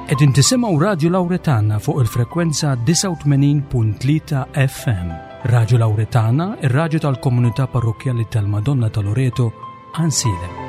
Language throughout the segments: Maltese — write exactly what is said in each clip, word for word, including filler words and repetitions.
Qegħdin tisimgħu Radju Lawretana fuq il-frekwenza disgħa u tmenin punt tlieta F M. Radju Lawretana, ir-radju tal-Komunità Parrokkjali tal-Madonna ta' Loreto, Għajnsielem.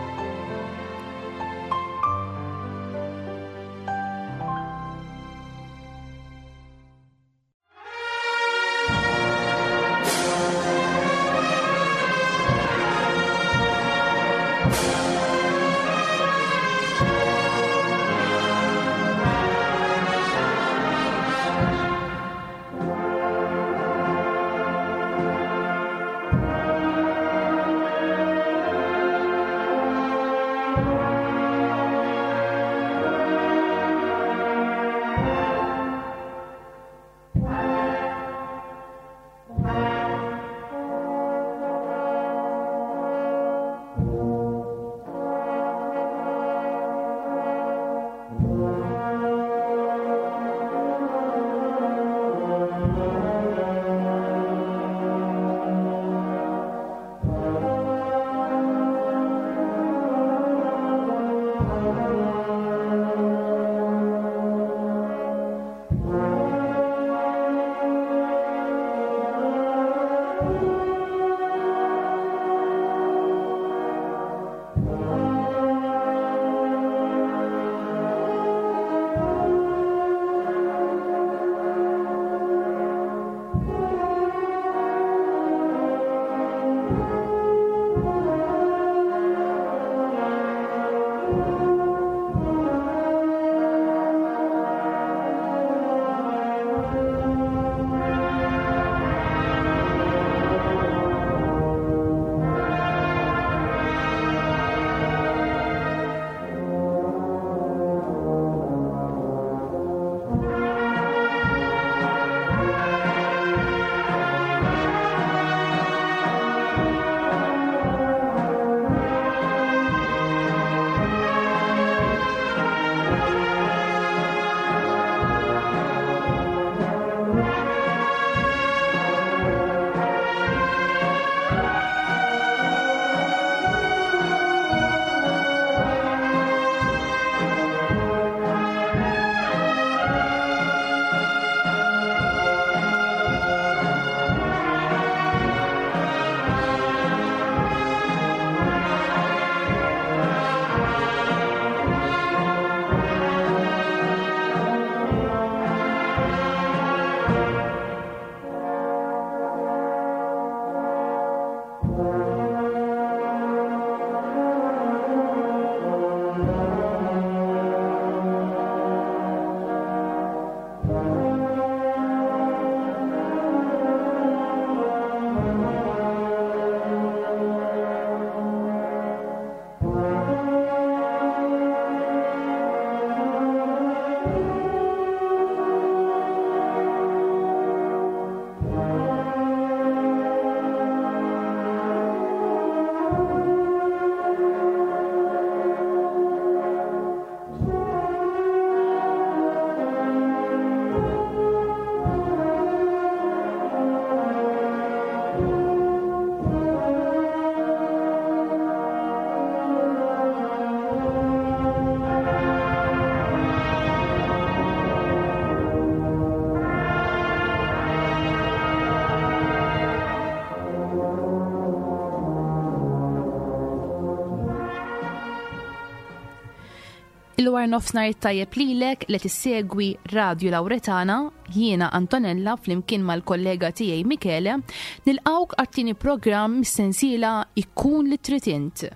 Il-war nofsnar tajjeb lilek li tissegwi Radju Lawretana, jiena Antonella flimkien mal-kollega tiegħi Michele, nilqawk għat-tieni programm mis-sensiela Ikkun li trid int.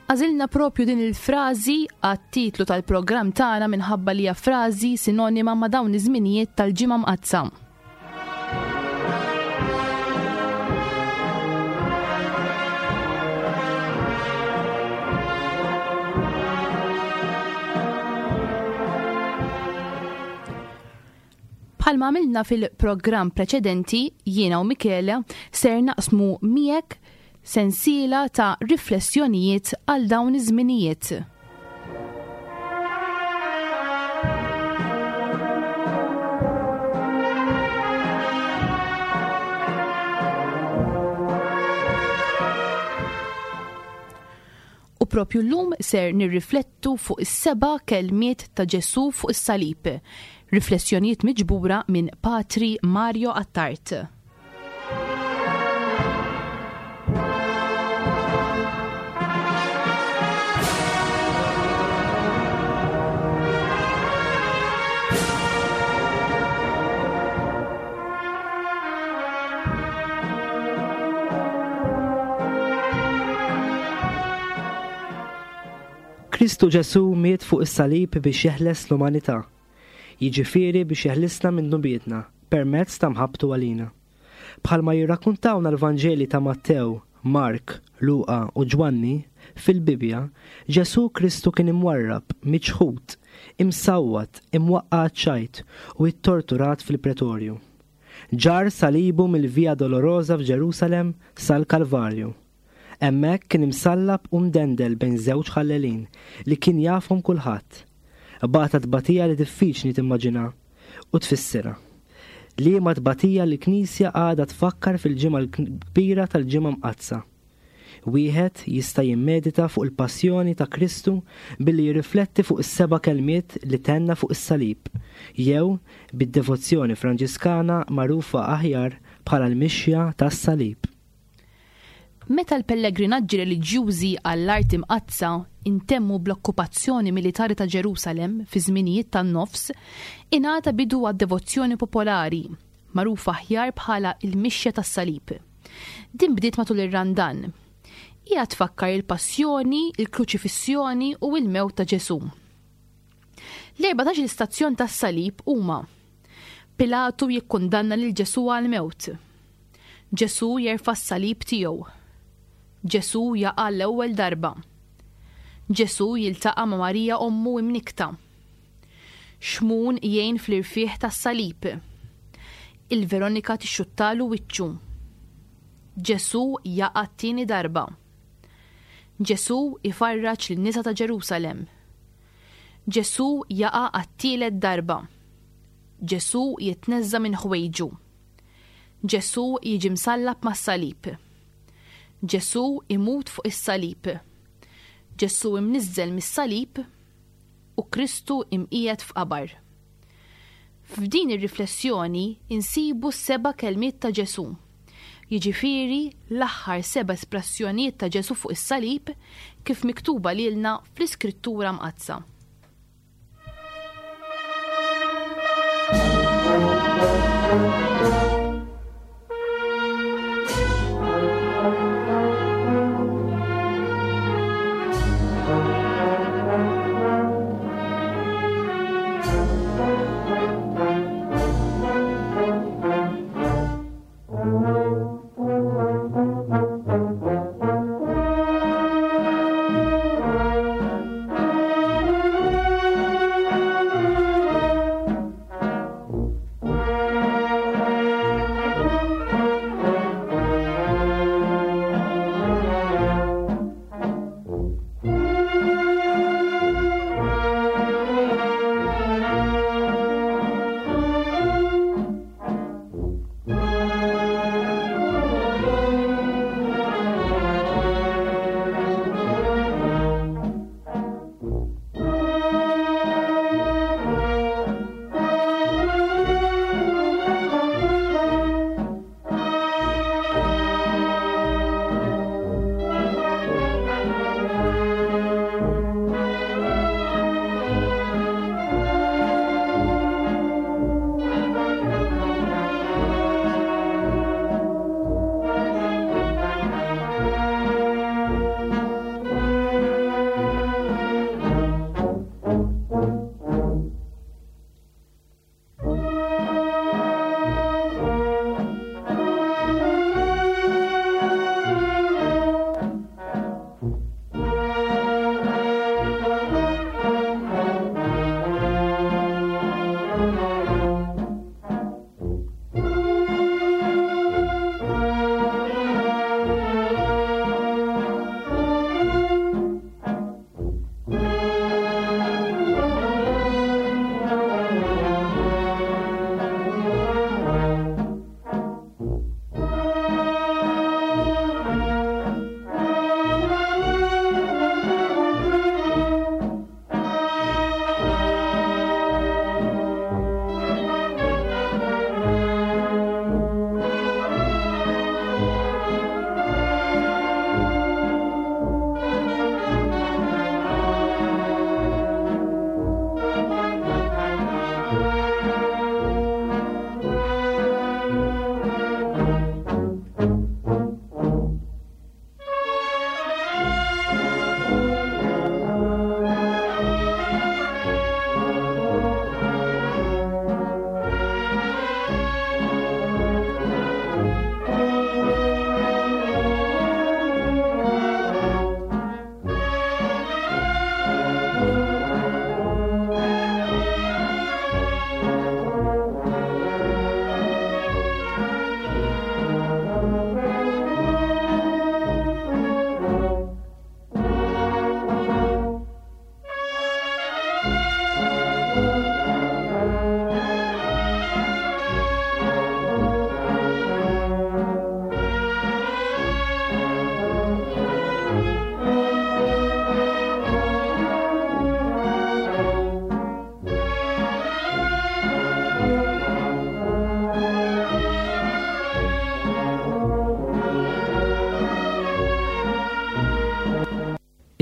Għażilna propju din il-frażi għat-titlu tal-programm tagħna minħabba li hija frażi sinonima ma' dawn iż-żminijiet tal-Ġimgħa Mqaddsa. Bħalma għamilna fil-programm preċedenti, jiena u Michele ser naqsmu miegħek sensiela ta' riflessjonijiet għal dawn iż-żminijiet. Propju llum ser nirriflettu fuq is-seba' kelmiet ta' Ġesù fuq is-salib. Riflessjonijiet miġbura minn Patri Mario Attard. Kristu Ġesù miet fuq is-salib biex jeħles l-umanità, jiġifieri biex jeħlisna minn dnubietna permezz ta' mħabbtu għalina. Bħalma jirrakkuntawna l-Vanġeli ta' Mattew, Mark, Luqa u Ġwanni, fil-Bibbja, Ġesù Kristu kien imwarrab, miċħud, imsawwat, imwaqqa' għaċ-ċajt u ittorturat fil-pretorju. Ġarr salibu mill-Via Dolorosa f'Ġerusalem sal-Kalvarju. Hemmhekk kien imsallab u mdendel bejn żewġ ħallelin li kien jafhom kulħadd. Bata tbatija li diffiċli timmaġina u tfissirha. Liema tbatija li l-Knisja għadha tfakkar fil-ġimgħa l-kbira tal-Ġimgħa Mqaddsa. Wieħed jista' jimmedita fuq il-passjoni ta' Kristu billi jirrifletti fuq is-seba' kelmiet li tenna fuq is-salib, jew bid-devozzjoni Franġiskana magħrufa aħjar bħala l-mixja tas-salib. Meta l-pellegrinaġġi reliġjużi għall-Art Imqaddsa intemmu bl-okkupazzjoni militari ta' Ġerusalem fi żminijiet tan-nofs, ingħata bidu għad-devozzjoni popolari, magħrufa aħjar bħala il-mixja tas-salib. Din bdiet matul ir-Randan. Hija tfakkar il-passjoni, il-kruċifissjoni u l-mewt ta' Ġesù. L-erbatax-il stazzjon tas-salib huma: Pilatu jikkundanna lil Ġesù għall-mewt. Ġesù jerfa' s-salib tiegħu. Ġesù jaqa' l-ewwel darba. Ġesù jiltaqa' ma' Marija ommu imnikta. Xmun jgħin fl-irfieħ tas-salib. Il-Veronika tixxuttalu wiċċu. Ġesù jaqa' t-tieni darba. Ġesù ifarraġ lin-nisa ta' Ġerusalem. Ġesù jaqa' għat-tielet darba. Ġesù jitneżża' minn ħwejġu. Ġesù jiġi msallab mas-salib. Ġesù imut fuq is-salib. Ġesù imniżżel mis-salib u Kristu imqiegħed f'qabar. F'din ir-riflessjoni insibu s-seba' kelmiet ta' Ġesù, jiġifieri l-aħħar seba' espressjonijiet ta' Ġesù fuq is-salib kif miktuba lilna fl-Iskrittura Mqaddsa.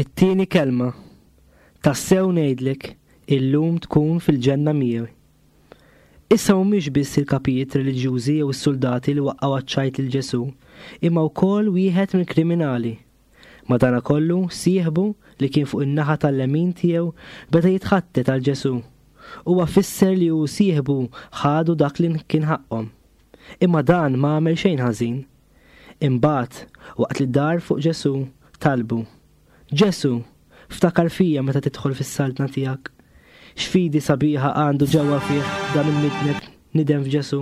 It-tieni kelma. Tassew ngħidlek, illum tkun fil-ġenna miegħi. Issa mhumiex biss il-kapijiet reliġjużi jew is-suldati li waqqgħu għaċ-ċajt lil Ġesù, imma wkoll wieħed mill-kriminali. Madanakollu sieħbu li kien fuq in-naħa tal-lemin tiegħu beda jitħattet għal Ġesù. Huwa fisser li hu sieħbu ħadu dak li kien ħaqqhom. Imma dan ma għamel xejn ħażin. Imbagħad, waqt li dar fuq Ġesù, talbu: Ġesù, ftakar fija meta tidħol fis-saltna tiegħek. X'fidi sabiħa għandu ġewwa fih dan il-midneb nidem f'Ġesù.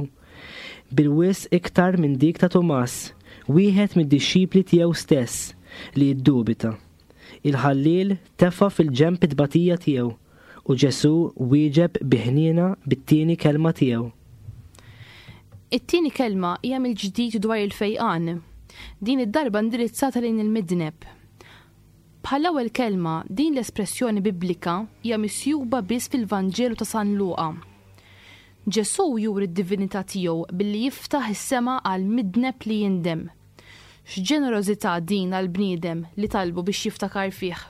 Bil-wisq iktar minn dik ta' Tumas, wieħed mid-dixxipli tiegħu stess li jiddubita. Il-ħalliel tefa' fil-ġenb it-tbatija tiegħu u Ġesù wieġeb bi ħniena bit-tieni kelma tiegħu. It-tieni kelma hija mill-ġdid dwar il-fejqan. Din id-darba indirizzata lejn il-midneb. Bħall-ewwel kelma, din l-espressjoni biblika hija misjuba biss fil-Vanġelu ta' San Luqa. Ġesù juri d-divinità tiegħu billi jiftaħ is-sema għal midneb li jindem. X'ġenerożità din għal bniedem li talbu biex jiftakar fih.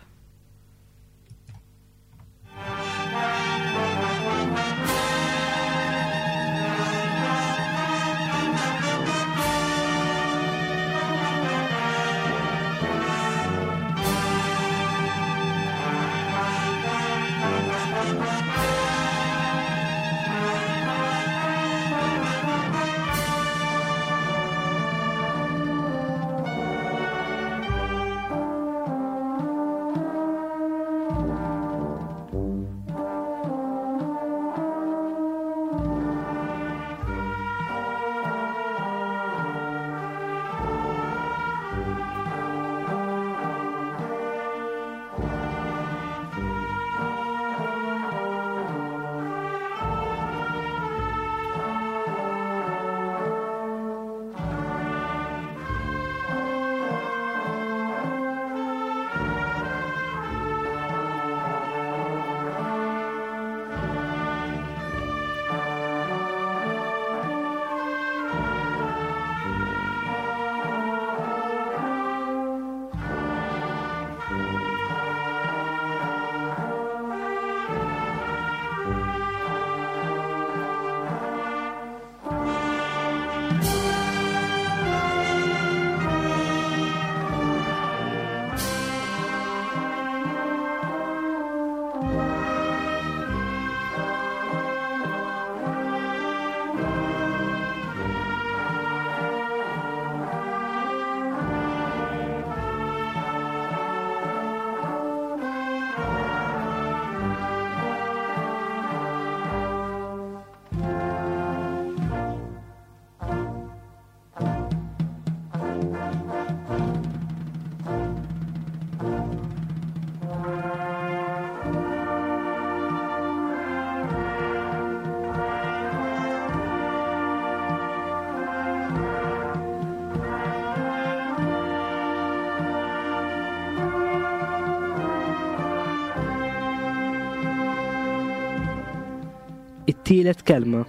It-tielet kelma.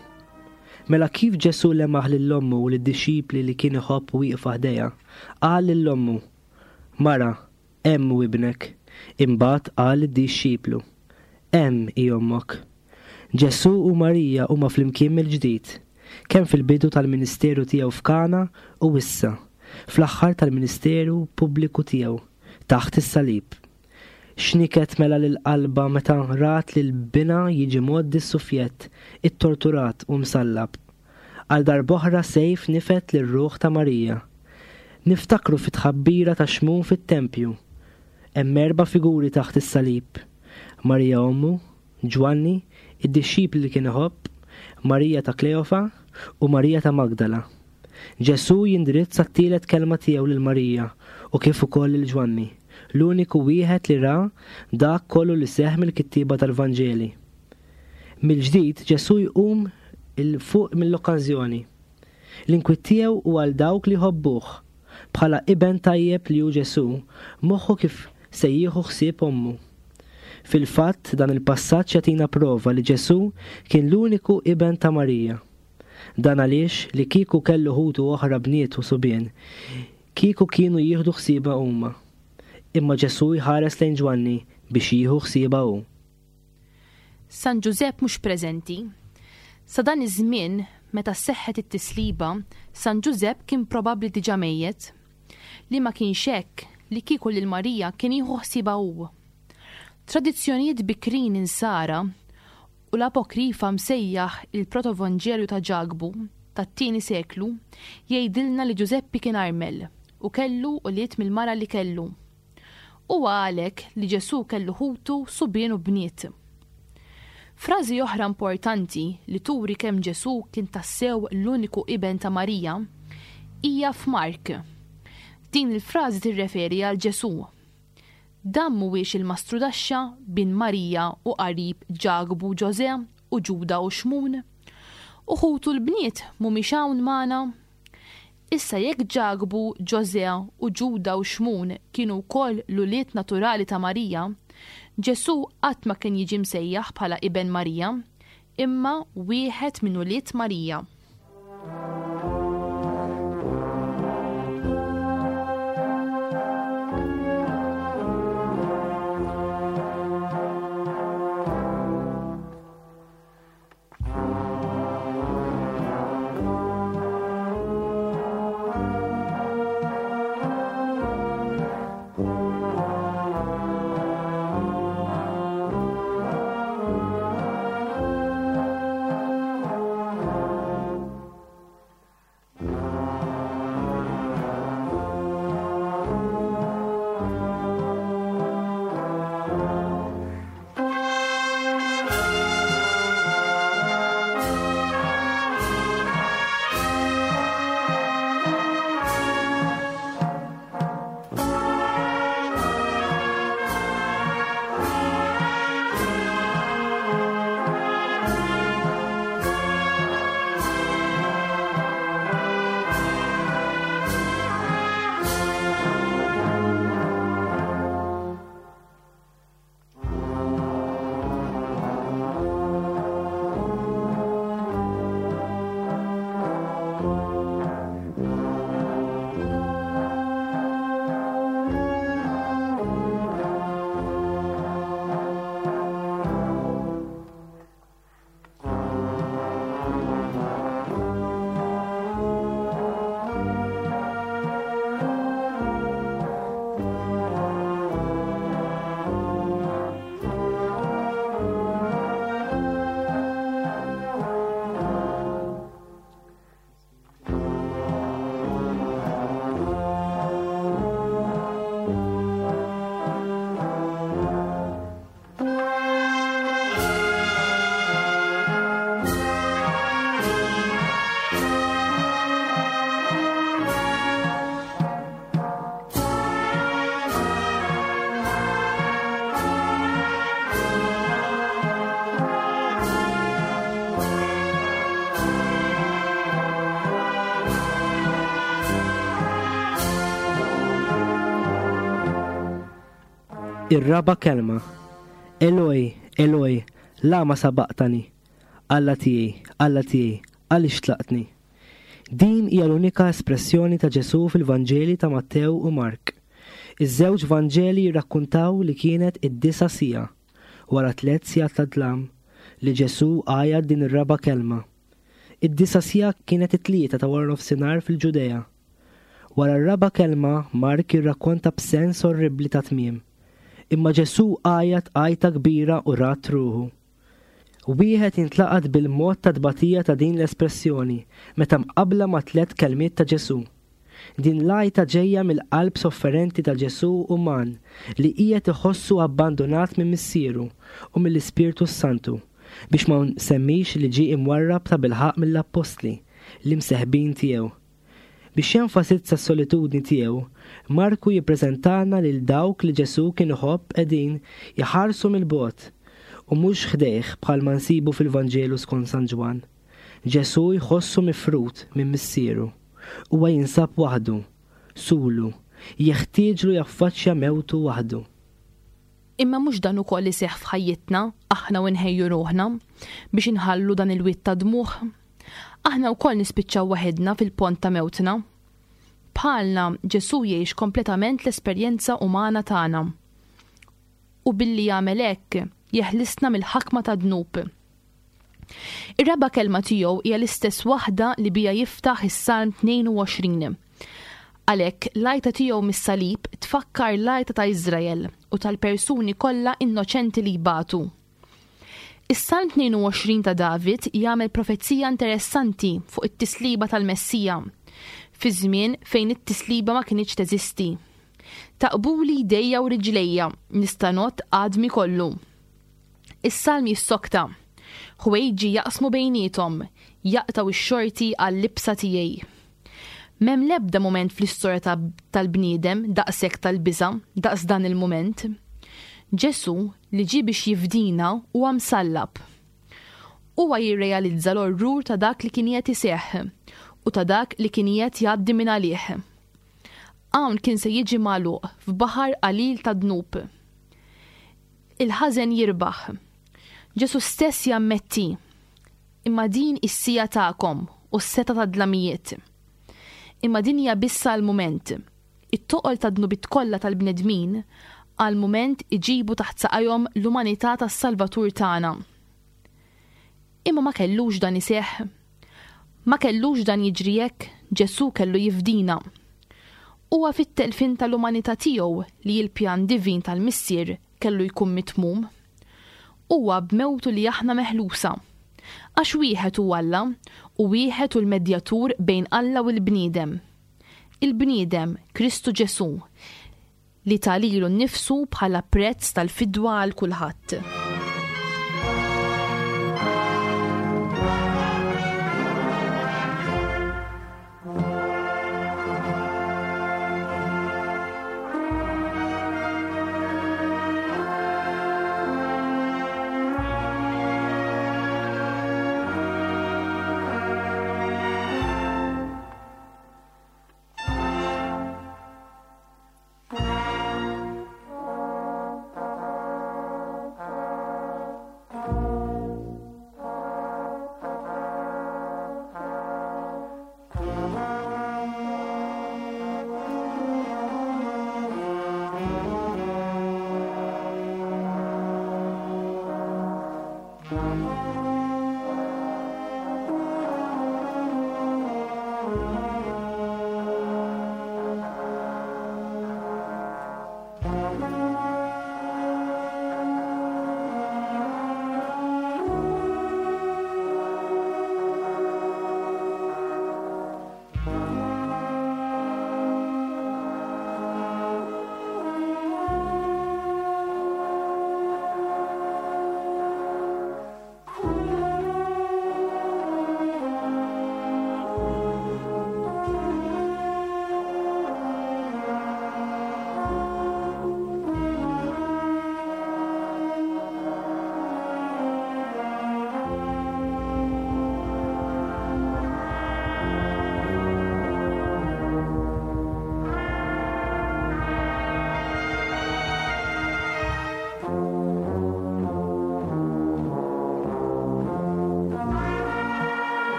Mela kif Ġesù lemaħ lil ommu u lid-dixxipli li kien iħobb wieqfa ħdejha, qal lil ommu: Mara, hemm hu ibnek. Imbagħad qal lid-dixxiplu: Hemm hi ommok. Ġesù u Marija huma flimkien mill-ġdid, kemm fil-bidu tal-ministeru tiegħu f'Kana u issa, fl-aħħar tal-ministeru pubbliku tiegħu, taħt is-salib. X'niket mela lil qalba meta rat lil binha jiġi mgħoddi s-sufjett, ittorturat u msallab. Għal darb'oħra sejf nifed lir-ruħ ta' Marija. Niftakru fit-tħabbira ta' Xmun fit-tempju. Hemm erba' figuri taħt is-salib. Marija ommu, Ġwanni, id-dixxipli li kien iħobb, Marija ta' Kleofa u Marija ta' Magdala. Ġesù jindirizza t-tielet kelma tiegħu lil Marija u kif ukoll lil Ġwanni, l-uniku wieħed li ra dak kollu li seħħ mill-kittieba tal-Vanġeli. Mill-ġdid Ġesù jqum il fuq mill-okkażjoni. L-inkwiet tiegħu hu għal dawk li jħobbuh. Bħala iben tajjeb li hu Ġesù, moħħu kif se jieħu ħsieb ommu. Fil-fatt dan il-passaġġ jagħtina prova li Ġesù kien l-uniku iben ta' Marija. Dan għaliex li kieku kellu ħutu oħra bniet u subien, kieku kienu jieħdu ħsiebha huma. Imma Ġesù jħares lejn Ġwanni biex jieħu ħsiebha hu. San Ġużepp mhux preżenti. Sa dan iż-żmien, meta seħħet it-tisliba, San Ġużepp kien probabbli diġà mejjet. Li ma kienx hekk, li kieku lil Marija kien jieħu ħsiebha hu. Tradizzjonijiet bikrin insara u l-apokrifa msejjaħ il-Protovanġelju ta' Ġakbu tat-tieni seklu jgħidilna li Ġużeppi kien armel u kellu ulied mill-mara li kellu. Huwa għalhekk li Ġesù kellu ħutu subien u bniet. Frażi oħra importanti li turi kemm Ġesù kien tassew l-uniku iben ta' Marija hija f'Mark. Din il-frażi tirreferi għal Ġesù. Dan mhuwiex il-mastrudaxxa bin Marija u qarib Ġakbu, Ġożè u Ġuda u Xmun. U ħutu l-bniet mhumiex hawn magħna. Issa jekk Ġakbu, Ġożè u Ġuda u Xmun kienu wkoll l-ulied naturali ta' Marija, Ġesù qatt ma kien jiġi msejjaħ bħala iben Marija, imma wieħed minn ulied Marija. Ir-raba' kelma. Eloi, Eloi, lama sabaqtani? Alla tiegħi, Alla tiegħi, għaliex tlaqtni? Din hija l-unika espressjoni ta' Ġesù fil-Vanġeli ta' Mattew u Mark. Iż-żewġ Vanġeli jirrakkuntaw li kienet id-disa' siegħa, wara tliet sigħat ta' dlam, li Ġesù għajat din ir-raba' kelma. Id-disa' siegħa kienet it-tlieta ta' wara nofsinhar fil-Ġudea. Wara r-raba' kelma, Mark jirrakkonta b'sens orribbli ta' tmiem. Imma Ġesù għajat għajta kbira u rat ruħu. Wieħed jintlaqat bil-mod ta' tbatija ta' din l-espressjoni meta mqabbla ma' tliet kelmiet ta' Ġesù. Din l-għajta ġejja mill-qalb sofferenti ta' Ġesù uman li qiegħed iħossu abbandonat minn Missieru u mill-Ispirtu Santu, biex ma nsemmix li ġie imwarrab ta' bilħaqq mill-appostli, l-imseħbin tiegħu. Biex jenfasizza s-solitudni tiegħu, Marku jippreżentana lil dawk li Ġesù kien iħobb qegħdin jħarsu mill-bogħod u mhux ħdejh bħalma nsibu fil-Vanġelu skont San Ġwann. Ġesù jħossu mifrud minn Missieru. Huwa jinsab waħdu, sulu, jeħtieġlu jaffaċċja mewtu waħdu. Imma mhux dan ukoll iseħħ f'ħajjitna, aħna u nħejju ruħna biex inħallu dan il-wied ta' dmugħ. Aħna wkoll nispiċċaw waħedna fil-pont ta' mewtna. Bħalna Ġesù jgħix kompletament l-esperjenza umana tagħna. U billi jagħmel hekk jeħlisna mill-ħakma ta' dnub. Ir-raba' kelma tiegħu hija l-istess waħda li bija jiftaħ is-Salm tnejn u għoxrin. Għalhekk l-għajta tiegħu mis-salib tfakkar l-għajta ta' Iżrael u tal-persuni kollha innoċenti li jbatu. Is-Salm tnejn u għoxrin ta' David jagħmel profezija interessanti fuq it-tisliba tal-Messija, fi żmien fejn it-tisliba ma kinitx teżisti. "Taqbuli jdejja u riġlejja, nista' ngħodd għadmi kollu." Is-salm jissokta: "Ħwejġi jaqsmu bejniethom, jaqtgħu x-xorti għal-libsa tiegħi." M'hemm l-ebda moment fl-istorja tal-bniedem daqshekk tal-biża' daqs dan il-moment. Ġesu li ġie biex jifdina huwa msallab. Huwa jirrealizza l-orrur ta' dak li kien qed iseħħ u ta' dak li kien qed jgħaddi minn għalih. Hawn kien se jiġi magħluq f'baħar qalil ta' dnub. Il-ħażen jirbaħ. Ġesu stess jammetti: "Imma din is-siegħa tagħkom u s-setgħa tad-dlamijiet." Imma din hija biss għal-mument. It-toqol ta' dnubiet kollha tal-bnedmin għal mument iġibu taħt saqajhom l-umanità tas-Salvatur tagħna. Imma ma kellux dan iseħħ. Ma kellux dan jiġri hekk. Ġesu kellu jifdina. Huwa fit-telfin tal-umanità tiegħu li l-pjan divin tal-Missier kellu jkun mitmum. Huwa b'mewtu li aħna meħlusa. Għax wieħed hu Alla u wieħed hu l-medjatur bejn Alla u l-bniedem. Il-bniedem, Kristu Ġesu, li ta lilu nnifsu bħala prezz tal-fidwa għal kulħadd.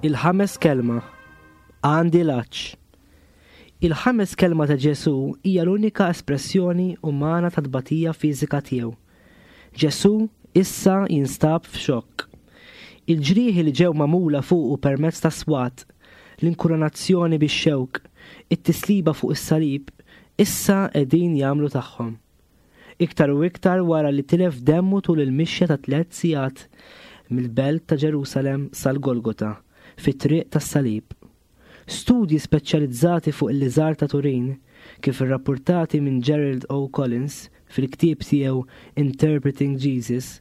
Il-ħames kelma: "Għandi l-għatx." Il-ħames kelma ta' Ġesu hija l-unika espressjoni umana ta' tbatija fiżika tiegħu. Ġesu issa jinstab f'xokk. Il-ġrieħi li ġew magħmula fuqu permezz ta' swat, l-inkurunazzjoni bix-xewk, it-tisliba fuq is-salib, issa qegħdin jagħmlu tagħhom. Iktar u iktar wara li tilef demmu tul il-mixja ta' tliet sigħat mill-belt ta' Ġerusalem sal-Golgota fit-triq tas-salib. Studji speċjalizzati fuq il-liżar ta' Turin, kif irrapportati minn Gerald O. Collins fil-ktieb tiegħu Interpreting Jesus,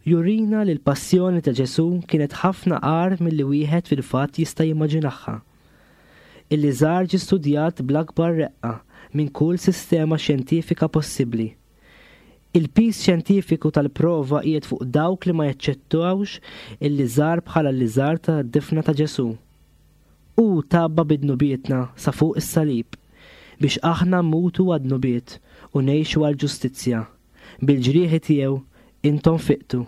jurina li l-passjoni ta' Ġesu kienet ħafna agħar milli wieħed fil-fatt jista' jimmaġinaha. Il-liżar ġi studjat bl-akbar reqqa minn kull sistema xjentifika possibbli. Il-piż xjentifiku tal-prova qiegħed fuq dawk li ma jaċċettawx il-liżar bħala l-liżar ta' difna ta' Ġesu. Hu tgħabba bid-dnubietna sa fuq is-salib biex aħna mmutu għad-dnubiet u ngħixu għal-ġustizzja. Bil-ġrieħi tiegħu Intom fiqtu.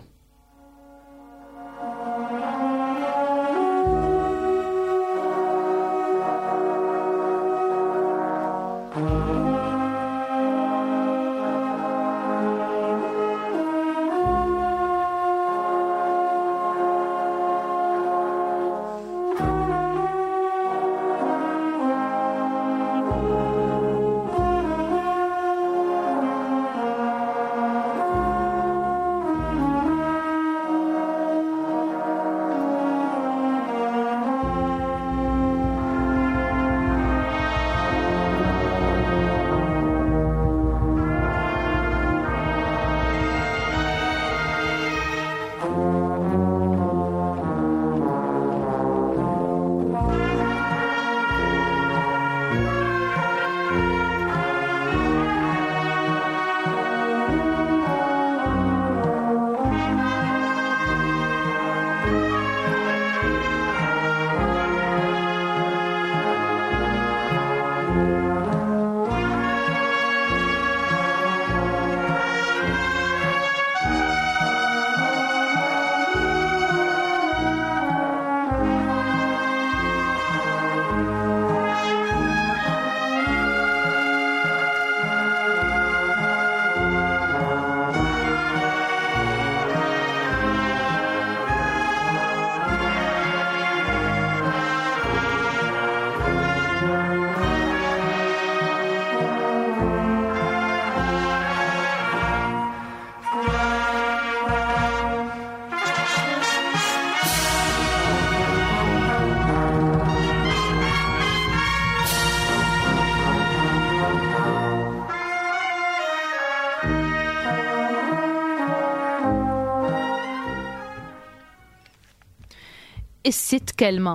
Is-sitt kelma.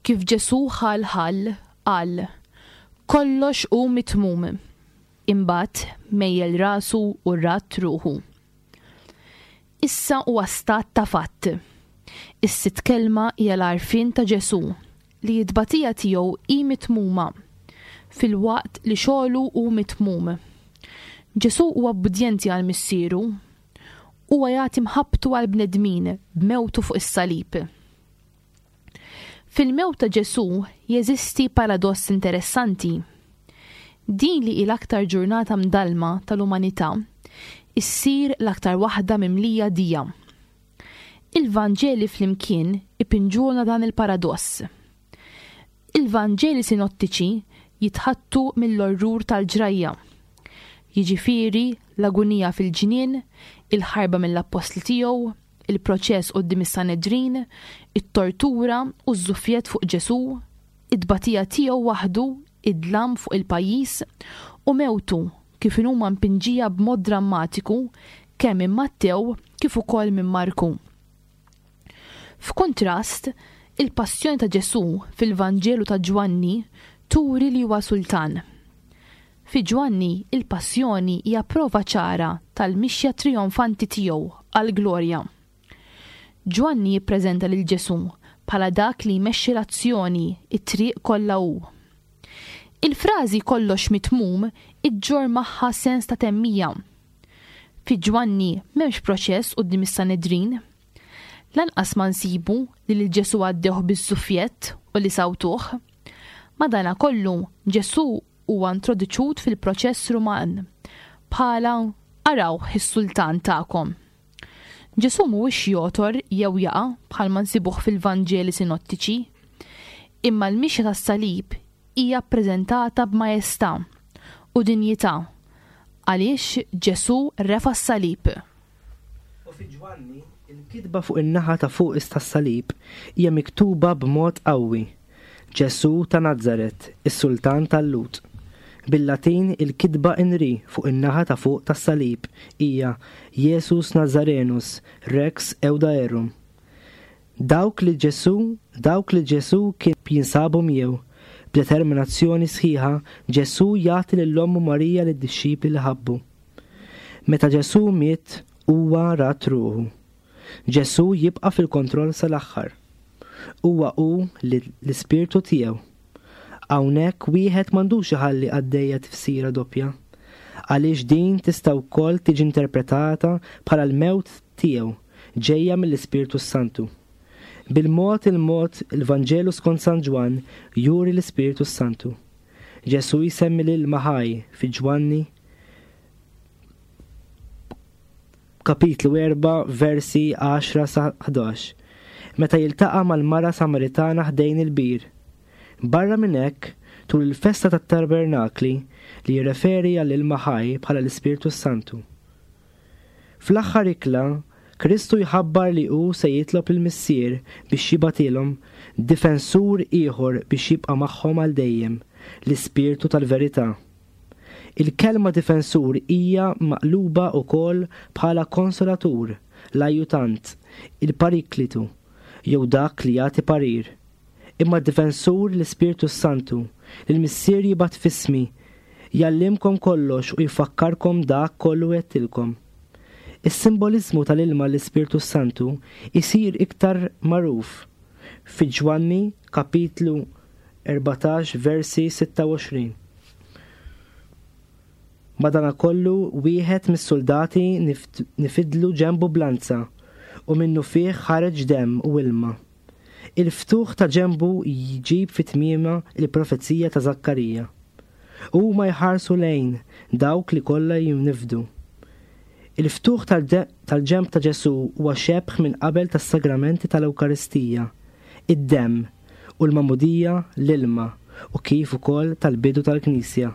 Kif Ġesù ħal ħall, qal, kollox hu mitmum. Imbagħad mejjel rasu u rat ruħu. Issa huwa stat ta' fatt. Is-sitt kelma hija l-għarfien ta' Ġesù li t-tbatija tiegħu hi mitmuma filwaqt li xogħlu hu mitmum. Ġesù huwa ubbidjenti għal missieru. Huwa jagħti mħabbtu għal bnedmin b'mewtu fuq is-salib. Fil-mewt ta' Ġesù jeżisti paradoss interessanti. Din li hi l-aktar ġurnata mdallma tal-umanità issir l-aktar waħda mimlija dija. Il-Vanġeli flimkien ipinġulna dan il-paradoss. Il-Vanġeli sinottiċi jitħattu mill-orrur tal-ġrajja. Jiġifieri l-agunija fil-ġnien, il-ħarba mill-appostli tiegħu, il-proċess quddiem is-Sanedrin, it-tortura u ż-żuffjett fuq Ġesù, it-tbatija tiegħu waħdu, id-dlam fuq il-pajjiż u mewtu kif inhuma mpinġija b'mod drammatiku kemm minn Mattew kif ukoll minn Marku. F'kuntrast, il-passjoni ta' Ġesù fil-Vanġelu ta' Ġwanni turi li huwa sultan. Fi Ġwanni, il-passjoni hija prova ċara tal-mixja trionfanti tiegħu għall-glorja. Ġwanni jippreżenta lil Ġesù bħala dak li jmexxi l-azzjoni, it-triq kollha hu. Il-frażi kollox mitmum iġġorr magħha sens ta' temmija. Fi Ġwanni m'hemmx proċess quddiem is-Sanedrin. Lanqas ma nsibu li lil Ġesù għaddewh biż-żuffjett u li sawtuh. Madanakollu Ġesù huwa introduċut fil-proċess Ruman bħala arawh is-sultan tagħkom. Ġesù mhuwiex jotor jew jaqa' bħalma nsibuh fil-Vanġeli sinottiċi, imma l-mixja tas-salib hija ppreżentata b'maestà u dinjità għaliex Ġesù refa' s-salib. U fi Ġwanni, il-kitba fuq in-naħa ta' fuq tas-salib hija miktuba b'mod qawwi. Ġesù ta' Nazaret, is-sultan tal-Lhud. Bil-Latin il-kitba inri fuq in-naħa ta' fuq tas-salib hija Jesus Nazarenus Rex Eudaerum. Dawk li Ġesù, dawk li Ġesù kien jinsabu miegħu, b'determinazzjoni sħiħa, Ġesù jagħti lil ommu Marija lid-dixxipli li ħabbu. Meta Ġesù miet, huwa rat ruħu. Ġesù jibqa' fil-kontroll sal-aħħar. Huwa hu l-ispirtu tiegħu. Hawnhekk wieħed m'għandux iħalli għaddejja tifsira doppja. għaliex din tista' wkoll tiġi interpretata bħala l-mewt tiegħu ġejja mill-Ispirtu Santu. Bil-mod il-mod il-Vanġelu skont San Ġwann juri l-Ispirtu Santu. Ġesu jsemmi l-ilma ħaj fi Ġwanni kapitlu erba' versi għaxra sa ħdax, meta jiltaqa' mal-mara Samaritana ħdejn il-bir. Barra minn hekk, tul il-festa tat-Tabernakli li jirreferi għall-ilma ħaj bħala l-Ispirtu Santu. Fl-aħħar ikla, Kristu jħabbar li hu se jitlob il-Missier biex jibgħatilhom difensur ieħor biex jibqa' magħhom għal dejjem, l-Ispirtu tal-Verità. Il-kelma difensur hija maqluba wkoll bħala konsolatur, l-ajjutant, il-pariklitu, jew dak li jagħti parir. Imma d-difensur l-Ispirtu Santu, li l-Missier jibgħat f'ismi, jgħallimkom kollox u jfakkarkom dak kollu għedtilkom. Is-simbolizmu tal-ilma l-Ispirtu Santu isir iktar magħruf fi Ġwanni kapitlu erbatax versi sitta u għoxrin. Madanakollu wieħed mis-soldati nifidlu ġenbu blanza u minnu fih ħareġ demm u ilma. Il-ftuħ ta' ġenbu jġib fi tmiema il-profezija ta' Zakkarija. Huma jħarsu lejn dawk li kollha jinifdu. Il-ftuħ tal-ġenb ta' Ġesu huwa xebh minn qabel tas-sagramenti tal-Ewkaristija, id-demm u l-magħmudija l-ilma u kif ukoll tal-bidu tal-Knisja.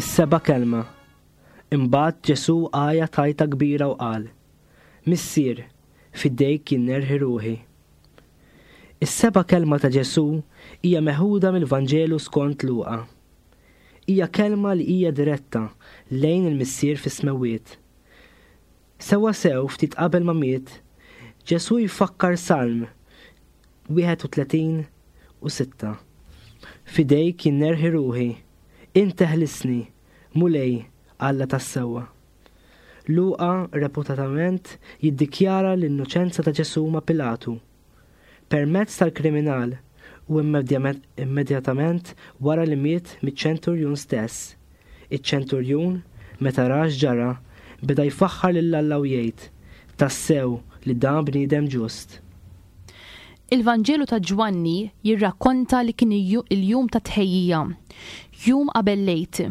Is-seba' kelma. Imbagħad Ġesu għajja tajta kbira u qal: Missier, f'idejk jinnerħi ruħi. Is-seba' kelma ta' Ġesu hija meħuda mill-Vanġelu skont Luqa. Hija kelma li hija diretta lejn il-Missier fis-smewwiet. Sewwa sew ftit qabel ma miet, Ġesu jfakkar Salm wieħed u tletin u sitta. F'idejk jinnerħi ruħi, int teħlisni, Mulej, Alla tas-sewwa. Luqa reputatament jiddikjara l-innoċenza ta' Ġesu ma' Pilatu permezz tal-kriminal u immedjatament wara li miet miċ-ċenturjun stess. Iċ-ċenturjun, meta ra x'ġara, beda jfaħħar lil Alla u jgħid: Tassew li dan bniedem ġust. Il-Vanġelu ta' Ġwanni jirrakkonta li kien il-jum ta' tħejjija, jum qabel lejt,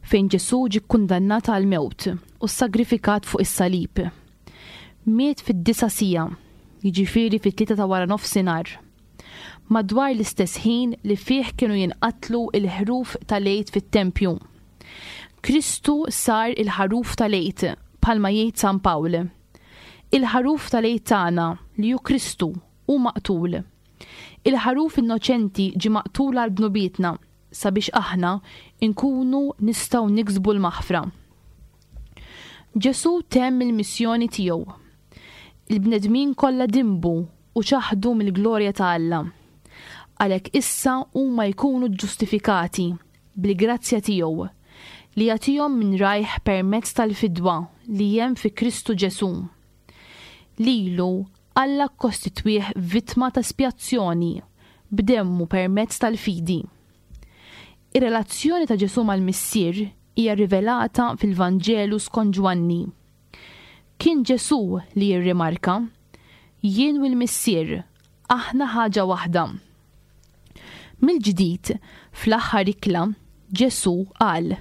fejn Ġesù ġie kkundannat għall-mewt u ssagrifikat fuq is-salib. Miet fid-disa' siegħa, jiġifieri fit-tlieta ta' wara nofsinhar. Madwar l-istess ħin li fih kienu jinqatlu l-ħruf tal-Għid fit-tempju. Kristu sar il-ħaruf tal-Għid, bħalma jgħid San Pawl. Il-ħaruf tal-Għid tagħna, li hu Kristu, hu maqtul. Il-ħaruf innoċenti ġie maqtul għal dnubietna sabiex aħna nkunu nistgħu niksbu l-maħfra. Ġesù temm il-missjoni tiegħu. Il-bnedmin kollha dinbu u ċaħdu mill-glorja ta' Alla. Għalhekk issa huma jkunu ġustifikati bil-grazzja tiegħu li jagħtihom minn rajh permezz tal-fidwa li hemm fi Kristu Ġesù. Lilu Alla kkostitwih vittma ta' spjazzjoni b'demmu permezz tal-fidi. Ir-relazzjoni ta' Ġesù mal-Missier hija rivelata fil-Vanġelu skont Ġwanni. Kien Ġesù li jirrimarka, Jien u l-Missier, aħna ħaġa waħda. Mill-ġdid, fl-aħħar ikla, Ġesù qal,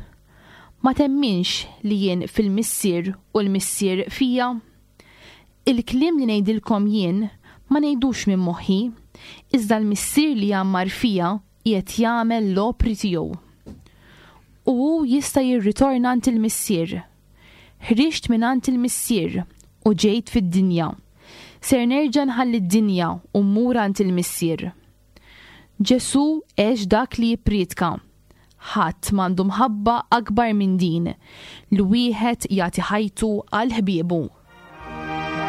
Ma temminx li jien fil-Missier u l-Missier fija? Il-kliem li ngħidilkom jien ma ngħidux minn moħħi, iżda l-Missier li jgħammar fija qiegħed jagħmel l-opri tiegħu. U hu jista' jirritorna għand il-Missier. Ħriġt minn għand il-Missier u ġejt fid-dinja. Ser nerġa' nħalli d-dinja u mmur għand il-Missier. Ġesù għex dak li jippriedka. Ħadd m'għandu mħabba akbar minn din, li wieħed jagħti ħajtu għal ħbiebu. Thank you.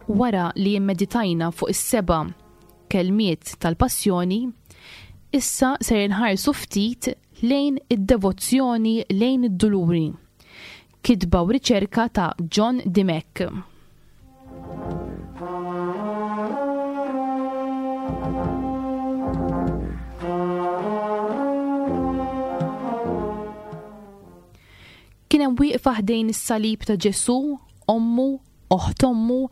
Wara li immeditajna fuq is-seba' kelmiet tal-passjoni, issa ser inħarsu ftit lejn id-devozzjoni lejn id-duluri. Kitba u riċerka ta' John Dimech. Kien hemm wieqfa ħdejn is-salib ta' Ġesù, ommu, oħt ommu,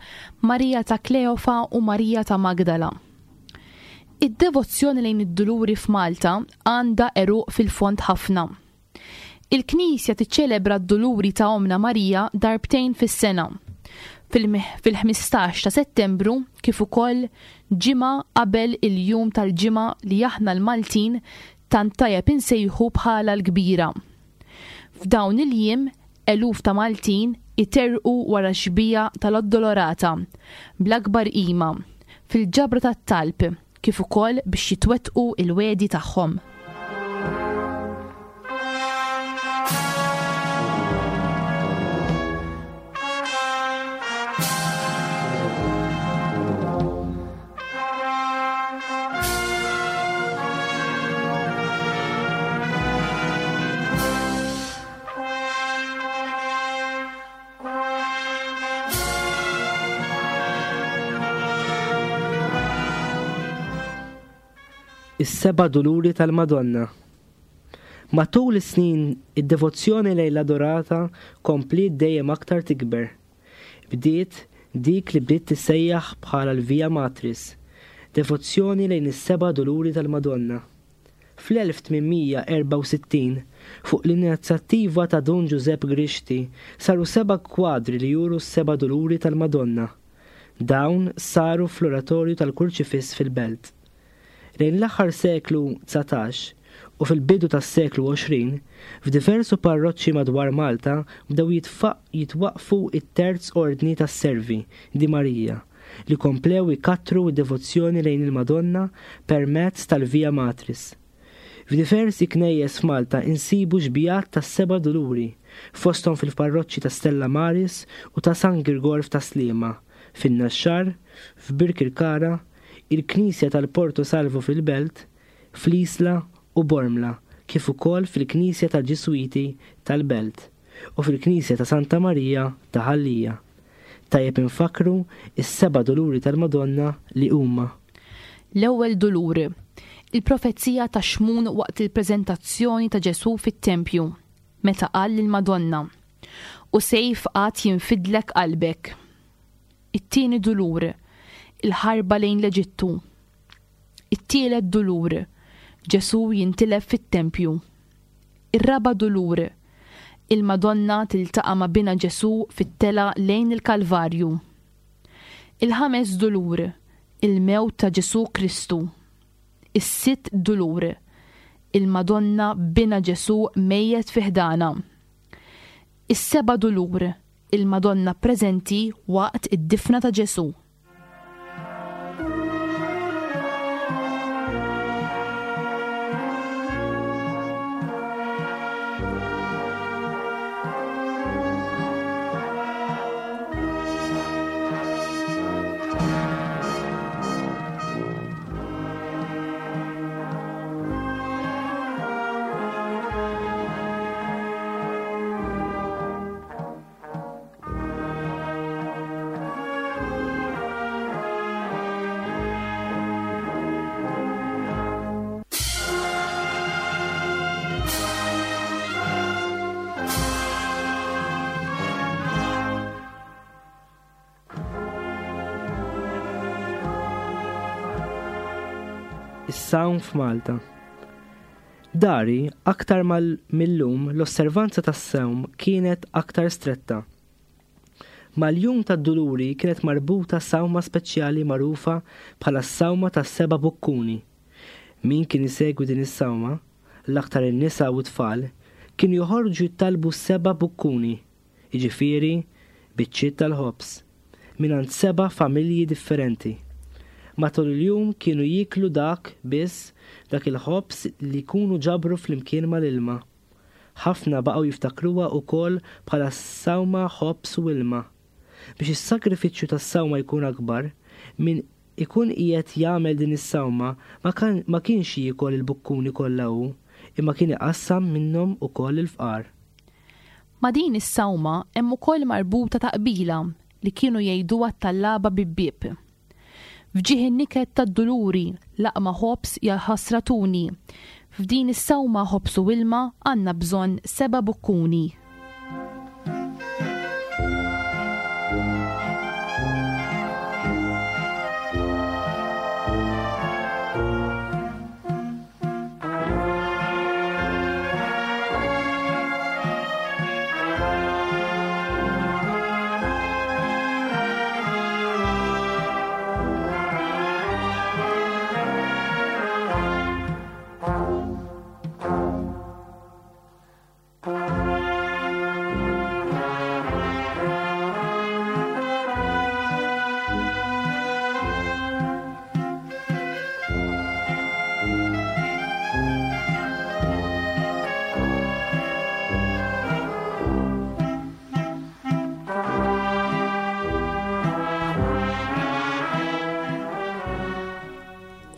Marija ta' Kleofa u Marija ta' Magdala. Id-devozzjoni lejn id-duluri f'Malta għandha għeruq fil-fond ħafna. Il-Knisja tiċċelebra d-duluri ta' Omna Marija darbtejn fis-sena, fil-ħmistax ta' Settembru kif ukoll ġimgħa qabel il-jum tal-ġimgħa li aħna l-Maltin tant tajjeb insejħu bħala l-kbira. F'dawn il-jiem, eluf ta' Maltin iterqu wara xbija tal-Addolorata bl-akbar qima fil-ġabra tat-talb kif ukoll biex jitwettqu il-wedi tagħhom. Is-seba' duluri tal-Madonna. Matul is-snin, id-devozzjoni lejn l-Adorata kompliet dejjem aktar tikber. Bdiet dik li bdiet tissejjaħ bħala l-Via Matris, devozzjoni lejn is-seba' duluri tal-Madonna. Fl-elf tmien mija erbgħa u sittin, fuq l-inizjattiva ta' Dun Giuseppe Grixti, saru seba' kwadri li juru s-seba' duluri tal-Madonna. Dawn saru fl-oratorju tal-Kurċifiss fil-Belt. Lejn l-aħħar seklu dsatax u fil-bidu tas-seklu għoxrin, f'diversu parroċċi madwar Malta bdew jitfa-, jitwaqfu it-terz ordni tas-Servi di Marija li komplew ikattru d-devozzjoni lejn il-Madonna permezz tal-Via Matris. F'diversi knejjes f'Malta insibu xbijat tas-seba' duluri, fosthom fil-parroċċi ta' Stella Maris u ta' San Girgor ta' Sliema, fin-Naxxar, f'Birkirkara, il-Knisja tal-Porto Salvo fil-Belt, fl-Isla u Bormla, kif ukoll fil-Knisja tal-Ġiswiti tal-Belt u fil-Knisja ta' Santa Marija ta' Ħal Lija. Tajjeb infakru is-seba' duluri tal-Madonna li huma: L-ewwel dulur, il-profezija ta' Xmun waqt il-preżentazzjoni ta' Ġesù fit-tempju, meta qal lill-Madonna: U sejf għad jinfidlek qalbek. It-tieni dulur, il-ħarba lejn l-Eġittu. It-tielet dulur, Ġesù jintilef fit-tempju. Ir-raba' dulur, il-Madonna tiltaqa' ma' bina Ġesù fit-tela lejn il-Kalvarju. Il-ħames dulur, il-mewt ta' Ġesù Kristu. Is-sitt dulur, il-Madonna bina Ġesù mejjet fi ħdana. Is-seba' dulur, il-Madonna preżenti waqt id-difna ta' Ġesù. Is-sawm f'Malta. Dari, aktar mal millum, l-osservanza tas-sawm kienet aktar stretta. Mal-jum tad-duluri kienet marbuta sawma speċjali magħrufa bħala s-sawma tas-seba' bukkuni. Min kien isegwi din is-sawma, l-aktar in-nisa u t-tfal, kienu joħorġu jittalbu seba' bukkuni, jiġifieri biċċiet tal-ħobż, mingħand seba' familji differenti. Matul il-jum kienu jiklu dak biss dak il-ħobż li jkunu ġabru flimkien mal-ilma. Ħafna baqgħu jiftakruha wkoll bħala sawma ħobż u ilma. Biex is-sagrifiċċju tas-sawma jkun akbar, min ikun qiegħed jagħmel din is-sawma ma, ma kienx jiekol il-bukkuni kollha hu, imma kien iqassam minnhom ukoll il-fqar. Ma' din is-sawma hemm ukoll marbuta taqbila li kienu jgħiduha t-tallaba bibbieb. F'ġieħ in-niket tad-duluri laqma ħobż ħasratuni. F'din is-sawma ħobż u ilma għandna bżonn seba' bukkuni.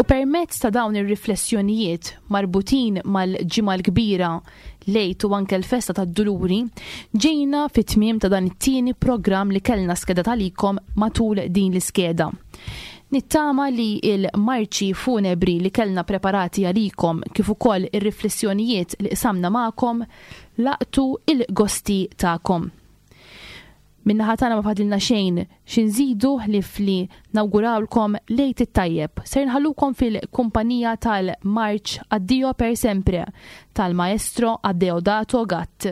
Permezz ta' dawn ir-riflessjonijiet marbutin mal-Ġimgħa l-Kbira, l-Għid u anke l-festa tad-Duluri, ġejna fit-tmiem ta' dan it-tieni programm li kellna skeda tagħlikom matul din l-iskeda. Nittama li il-marċi funebri li kellna preparati għalikom kif ukoll ir-riflessjonijiet li qsamna magħkom laqtu il-gosti tagħkom. Min-naħa tagħna ma fadilna xejn xi nżidu ħlief li nawgurawlkom l-Għid it-tajjeb. Ser nħallukom fil-kumpanija tal-Marċ Addio per sempre tal-Maestro Adeodato Gatt.